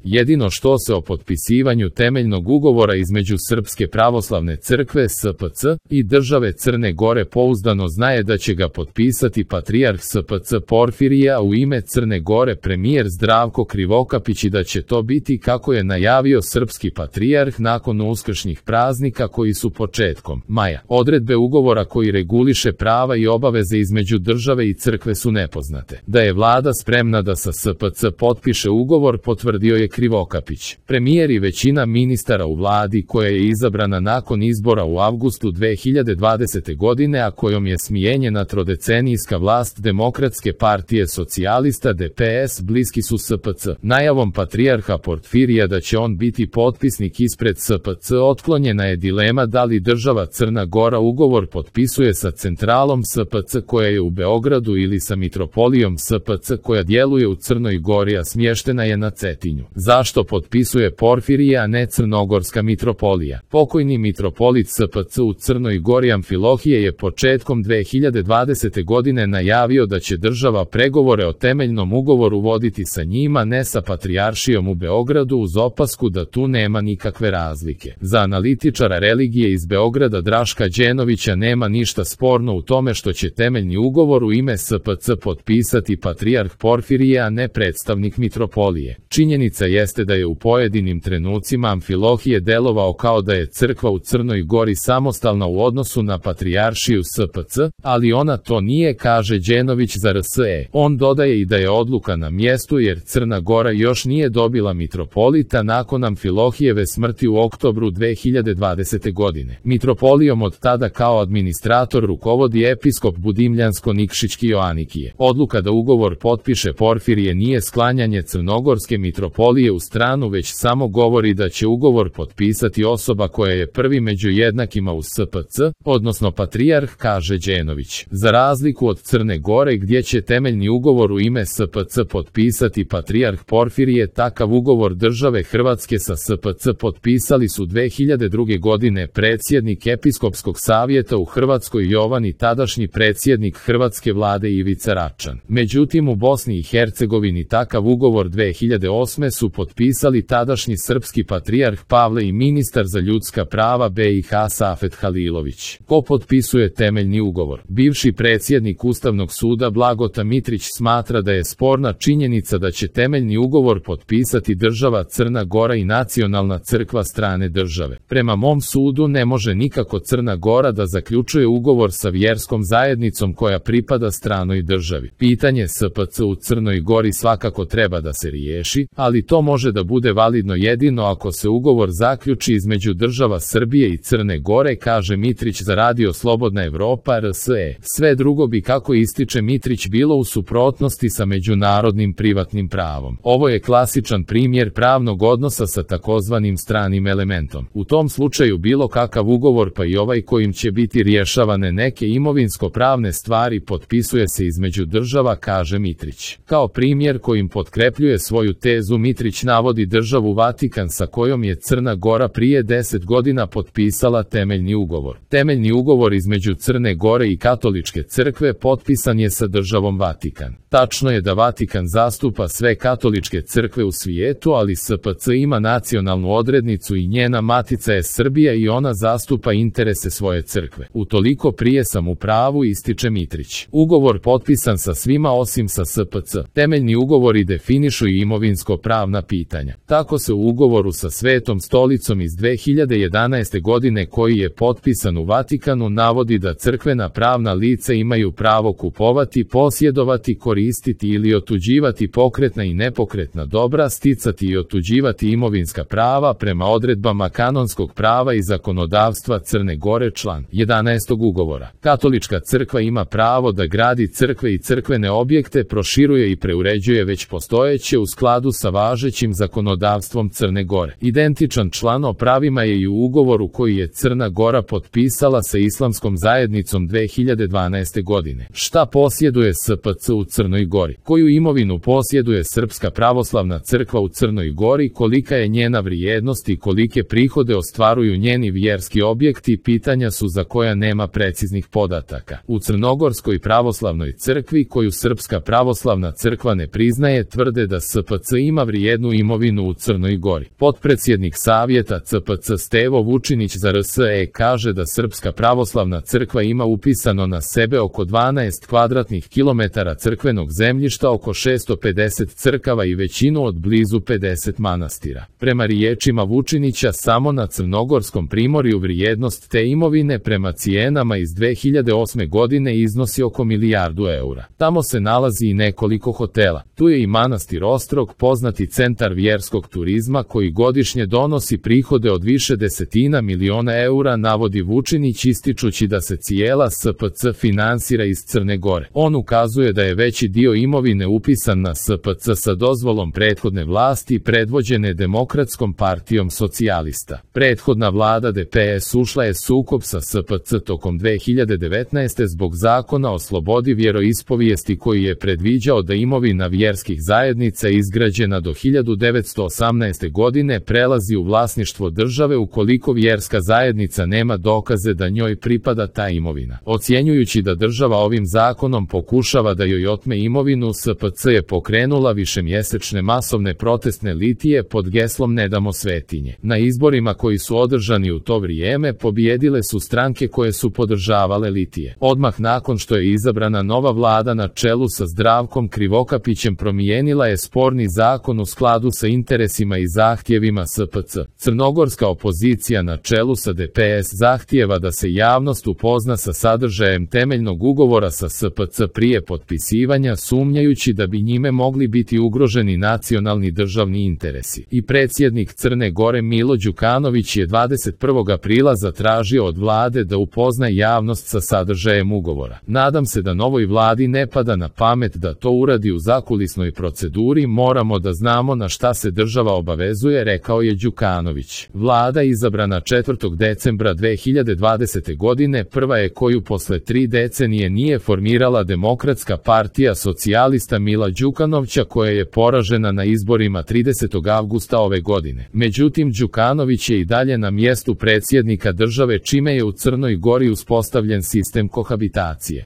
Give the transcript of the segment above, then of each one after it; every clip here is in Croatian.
Jedino što se o potpisivanju temeljnog ugovora između Srpske pravoslavne crkve SPC i države Crne Gore pouzdano zna je da će ga potpisati patrijarh SPC Porfirije, a u ime Crne Gore premijer Zdravko Krivokapić, i da će to biti kako je najavio srpski patrijarh nakon uskršnjih praznika koji su početkom maja. Odredbe ugovora koji reguliše prava i obaveze između države i crkve su nepoznate. Da je vlada spremna da sa SPC potpiše ugovor, potvrdio je Krivokapić. Premijer i većina ministara u vladi koja je izabrana nakon izbora u avgustu 2020. godine, a kojom je smijenjena trodecenijska vlast Demokratske partije socijalista DPS, bliski su SPC. Najavom patrijarha Porfirija da će on biti potpisnik ispred SPC otklonjena je dilema da li država Crna Gora ugovor potpisuje sa centralom SPC koja je u Beogradu ili sa mitropolijom SPC koja djeluje u Crnoj Gori, a smještena je na Cetinju. Zašto potpisuje Porfirije, a ne Crnogorska mitropolija? Pokojni mitropolit SPC u Crnoj Gori Amfilohije je početkom 2020. godine najavio da će država pregovore o temeljnom ugovoru voditi sa njima, ne sa patrijaršijom u Beogradu, uz opasku da tu nema nikakve razlike. Za analitičara religije iz Beograda Draška Đenovića nema ništa sporno u tome što će temeljni ugovor u ime SPC potpisati patrijarh Porfirije, a ne predstavnik mitropolije. Činjenica jeste da je u pojedinim trenucima Amfilohije delovao kao da je crkva u Crnoj Gori samostalna u odnosu na patrijaršiju SPC, ali ona to nije, kaže Đenović za RSE. On dodaje i da je odluka na mjestu jer Crna Gora još nije dobila mitropolita nakon Amfilohijeve smrti u oktobru 2020. godine. Mitropolijom od tada kao administrator rukovodi episkop Budimljansko-Nikšićki Joanikije. Odluka da ugovor potpiše Porfirije nije sklanjanje Crnogorske mitropolije u stranu, već samo govori da će ugovor potpisati osoba koja je prvi među jednakima u SPC, odnosno patrijarh, kaže Đenović. Za razliku od Crne Gore gdje će temeljni ugovor u ime SPC potpisati patrijarh Porfirije, takav ugovor države Hrvatske sa SPC potpisali su 2002. godine predsjednik Episkopskog savjeta u Hrvatskoj Jovan i tadašnji predsjednik hrvatske vlade Ivica Račan. Međutim, u Bosni i Hercegovini takav ugovor 2008. su potpisali tadašnji srpski patrijarh Pavle i ministar za ljudska prava BiH Safet Halilović. Ko potpisuje temeljni ugovor? Bivši predsjednik Ustavnog suda Blagota Mitrić smatra da je sporna činjenica da će temeljni ugovor potpisati država Crna Gora i nacionalna crkva strane države. Prema mom sudu ne može nikako Crna Gora da zaključuje ugovor sa vjerskom zajednicom koja pripada stranoj državi. Pitanje SPC u Crnoj Gori svakako treba da se riješi, ali to može da bude validno jedino ako se ugovor zaključi između država Srbije i Crne Gore, kaže Mitrić za Radio Slobodna Evropa RSE. Sve drugo bi, kako ističe Mitrić, bilo u suprotnosti sa međunarodnim privatnim pravom. Ovo je klasičan primjer pravnog odnosa sa takozvanim stranim elementom. U tom slučaju bilo kakav ugovor, pa i ovaj kojim će biti rješavane neke imovinsko-pravne stvari, potpisuje se između država, kaže Mitrić. Kao primjer kojim potkrepljuje svoju tezu, Mitrić navodi državu Vatikan sa kojom je Crna Gora prije 10 godina potpisala temeljni ugovor. Temeljni ugovor između Crne Gore i Katoličke crkve potpisan je sa državom Vatikan. Tačno je da Vatikan zastupa sve katoličke crkve u svijetu, ali SPC ima nacionalnu odrednicu i njena matica je Srbija i ona zastupa interese svoje crkve. Utoliko prije sam u pravu, ističe Mitrić. Ugovor potpisan sa svima osim sa SPC. Temeljni ugovori definišu i imovinsko-pravna pitanja. Tako se u ugovoru sa Svetom stolicom iz 2011. godine koji je potpisan u Vatikanu navodi da crkvena pravna lica imaju pravo kupovati, posjedovati, koristiti ili otuđivati pokretna i nepokretna dobra, sticati i otuđivati imovinska prava prema odredbama kanonskog prava i zakonodavstva Crne Gore. Član 11. ugovora. Katolička crkva ima pravo da gradi crkve i crkvene objekte, proširuje i preuređuje već postojeće u skladu sa važećim zakonodavstvom Crne Gore. Identičan član o pravima je i u ugovoru koji je Crna Gora potpisala sa Islamskom zajednicom 2012. godine. Šta posjeduje SPC u Crnoj Gori? Koju imovinu posjeduje Srpska pravoslavna crkva u Crnoj Gori? Kolika je njena vrijednost i kolike prihode ostvaruju njeni vjerski objekti? Pitanja su za koja nema preciznih podataka. U Crnogorskoj pravoslavnoj crkvi, koju Srpska pravoslavna crkva ne priznaje, tvrde da SPC ima vrijednost jednu imovinu u Crnoj Gori. Potpredsjednik Savjeta CPC Stevo Vučinić za RSE kaže da Srpska pravoslavna crkva ima upisano na sebe oko 12 kvadratnih kilometara crkvenog zemljišta, oko 650 crkava i većinu od blizu 50 manastira. Prema riječima Vučinića, samo na Crnogorskom primorju vrijednost te imovine prema cijenama iz 2008. godine iznosi oko milijardu eura. Tamo se nalazi i nekoliko hotela. Tu je i manastir Ostrog, poznati centar vjerskog turizma koji godišnje donosi prihode od više desetina miliona eura, navodi Vučinić, ističući da se cijela SPC finansira iz Crne Gore. On ukazuje da je veći dio imovine upisan na SPC sa dozvolom prethodne vlasti predvođene Demokratskom partijom socijalista. Prethodna vlada DPS ušla je sukob sa SPC tokom 2019. zbog zakona o slobodi vjeroispovijesti koji je predviđao da imovina vjerskih zajednica izgrađena do 1918. godine prelazi u vlasništvo države ukoliko vjerska zajednica nema dokaze da njoj pripada ta imovina. Ocjenjujući da država ovim zakonom pokušava da joj otme imovinu, SPC je pokrenula višemjesečne masovne protestne litije pod geslom "Ne damo svetinje". Na izborima koji su održani u to vrijeme pobijedile su stranke koje su podržavale litije. Odmah nakon što je izabrana nova vlada na čelu sa Zdravkom Krivokapićem, promijenila je sporni zakon u skladu sa interesima i zahtjevima SPC. Crnogorska opozicija na čelu sa DPS zahtijeva da se javnost upozna sa sadržajem temeljnog ugovora sa SPC prije potpisivanja, sumnjajući da bi njime mogli biti ugroženi nacionalni državni interesi. I predsjednik Crne Gore Milo Đukanović je 21. aprila zatražio od vlade da upozna javnost sa sadržajem ugovora. Nadam se da novoj vladi ne pada na pamet da to uradi u zakulisnoj proceduri, moramo da znamo na šta se država obavezuje, rekao je Đukanović. Vlada izabrana 4. decembra 2020. godine prva je koju posle 3 decenije nije formirala Demokratska partija socijalista Mila Đukanovića, koja je poražena na izborima 30. avgusta ove godine. Međutim, Đukanović je i dalje na mjestu predsjednika države, čime je u Crnoj Gori uspostavljen sistem kohabitacije.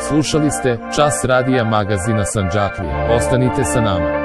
Slušali ste Čas radija magazina Sandžaklija. Ostanite sa nama.